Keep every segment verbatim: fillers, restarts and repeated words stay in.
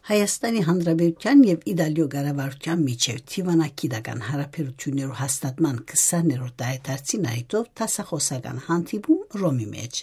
Հայաստանի Հանրապետութեան եւ Իտալիոյ կառավարութեան միջեւ դիւանագիտական յարաբերութիւններու հաստատման քսաներորդ տարեդարձին առիթով դասախօսական հանդիպում Ռոմի մէջ։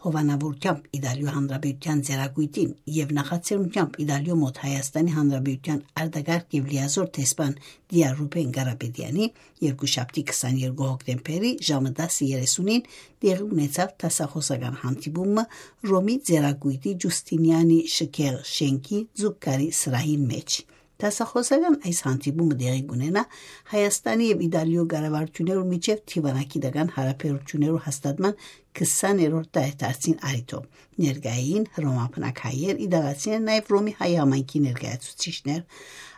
Հովանաւորութեամբ Իտալիոյ Հանրապետութեան ծերակոյտին եւ նախաձեռնութեամբ Իտալիոյ մօտ Հայաստանի Հանրապետութեան արտակարգ եւ լիազոր դեսպան Տիա Ռուբեն Կարապետեանի երկուշաբթի քսաներկու հոկտեմբերի ժամը տասը երեսունին տեղի ունեցաւ դասախօսական հանդիպումը Ռոմի ծերակոյտի Ջուստինիանի շքեղ շենքի Զուկկարի սրահին մէջ։ Դասախօսական այս հանդիպումը տեղի կունենայ Հայաստանի եւ Իտալիոյ կառավարութիւններու միջեւ դիւանագիտական յարաբերութիւններու հաստատման քսաներորդ տարեդարձին առիթով։ Ներկայ էին հռոմաբնակ հայեր, իտալացիներ, նաեւ Ռոմի հայ համայնքի ներկայացուցիչներ։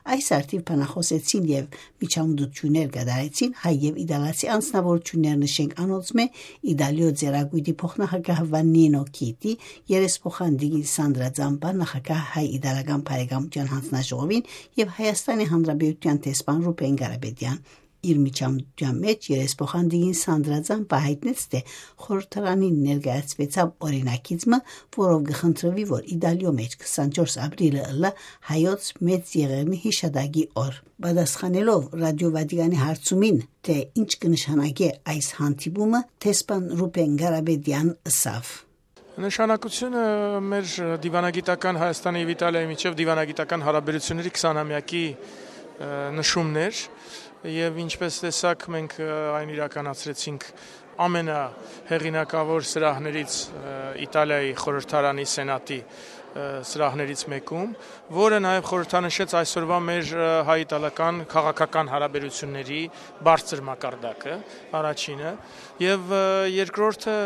Այս առթիւ բանախօսեցին եւ միջամտութիւններ կատարեցին հայ եւ իտալացի անձնաւորութիւններ, նշենք անոնցմէ Իտալիոյ ծերակոյտի փոխնախագահ Վաննինո Քիտի, երեսփոխան տիկին Սանդրա Ձամպա, նախագահ հայ-իտալական բարեկամութեան յանձնաժողովին եւ Հայաստանի Հանրապետութեան դեսպան Ռուբեն Կարապետեան։ Իր միջամտութեան մէջ երեսփոխան տիկին Սանդրա Ձամպա յայտնեց, թէ խորհրդարանին ներկայացուեցաւ օրինագիծ մը, որով կը խնդրուի, որ Իտալիոյ մէջ քսանչորս ապրիլը ըլլայ հայոց մեծ եղեռնի յիշատակի օր։ Պատասխանելով Ռադիօ Վատիկանի հարցումին, թէ ինչ կը նշանակէ այս հանդիպումը, դեսպան Ռուբեն Կարապետեան ըսաւ. Նշանակությունը մեր դիվանագիտական, Հայաստանի եւ Իտալիայի միջեւ դիվանագիտական յարաբերությունների քսանամեակի, ը, նշումն էր, եւ ինչպես տեսաք, մենք, ը, այն իրականացրեցինք ամենահեղինակաւոր սրահներից, ը, Իտալիայի խորհրդարանի սենատի, ը, սրահներից մէկում, որը նաեւ խորհրդանշեց այսօրվա մեր, ը, հայ-իտալական քաղաքական յարաբերությունների բարձր մակարդակը, առաջինը, եւ, ը, երկրորդը,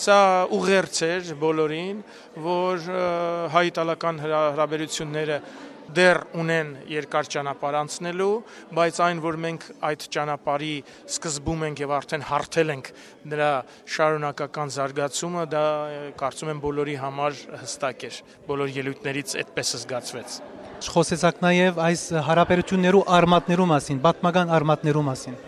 սա ուղերձ էր բոլորին, որ, ը, հայ-իտալական հրա-, յարաբերությունները դեռ ունեն երկար ճանապարհ անցնելու, բայց այն, որ մենք այդ ճանապարհի սկզբում ենք եւ արդեն հարթել ենք նրա շարունակական զարգացումը, դա, ը, կարծում եմ, բոլորի համար հստակ էր, բոլոր ելոյթներից այդպես զգացվեց։ Խոսեցաք նաեւ այս յարաբերություններու արմատներու մասին, պատմական արմատներու մասին։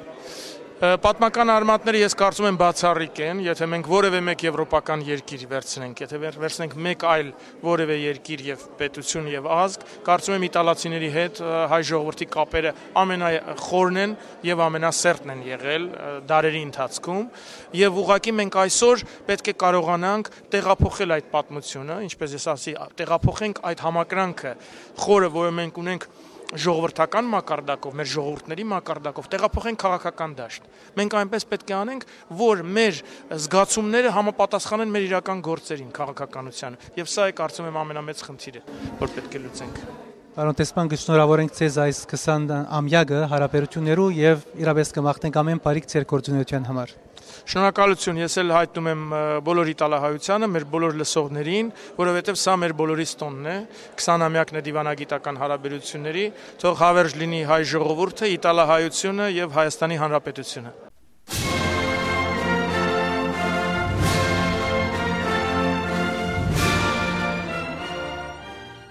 Ը, պատմական արմատները, ես կարծում եմ, բացառիկ են, եթե մենք որևէ մեկ եվրոպական երկիր վերցնենք, եթե վեր-, վերցնենք մեկ այլ որևէ երկիր եւ պետություն եւ ազգ, կարծում եմ, իտալացիների հետ, ը, հայ ժողովրդի կապերը ամենախորն են եւ ամենասերտն են եղել, ը, դարերի ընթացքում, եւ ուղղակի մենք այսօր պետք է կարողանանք տեղափոխել այդ պատմությունը, ինչպես ես ասի, տեղափոխենք այդ համակրանքը խորը, որը մենք ունենք ժողովրդական մակարդակով, մեր ժողովուրդների մակարդակով, տեղափոխենք քաղաքական դաշտ։ Մենք այնպես պետք է անենք, որ մեր զգացումները համապատասխանեն մեր իրական գործերին, քաղաքականությանը։ Եւ սա է, կարծում եմ, ամենամեծ խնդիրը, որ պետք է լուծենք։ Պարոն դեսպան, կշնորհավորենք ձեզ այս քսան ամեակը յարաբերություններու եւ իրապես կմաղթենք ամեն բարիք ձեր գործունեության համար։ Շնորհակալություն, ես էլ հայտնում եմ, ը, բոլոր իտալահայությանը, մեր բոլոր լսողներին, որովհետեւ սա մեր բոլորիս տոնն է, քսանամեակն է դիվանագիտական յարաբերությունների, թող հավերժ լինի հայ ժողովուրդը, իտալահայությունը եւ Հայաստանի Հանրապետությունը։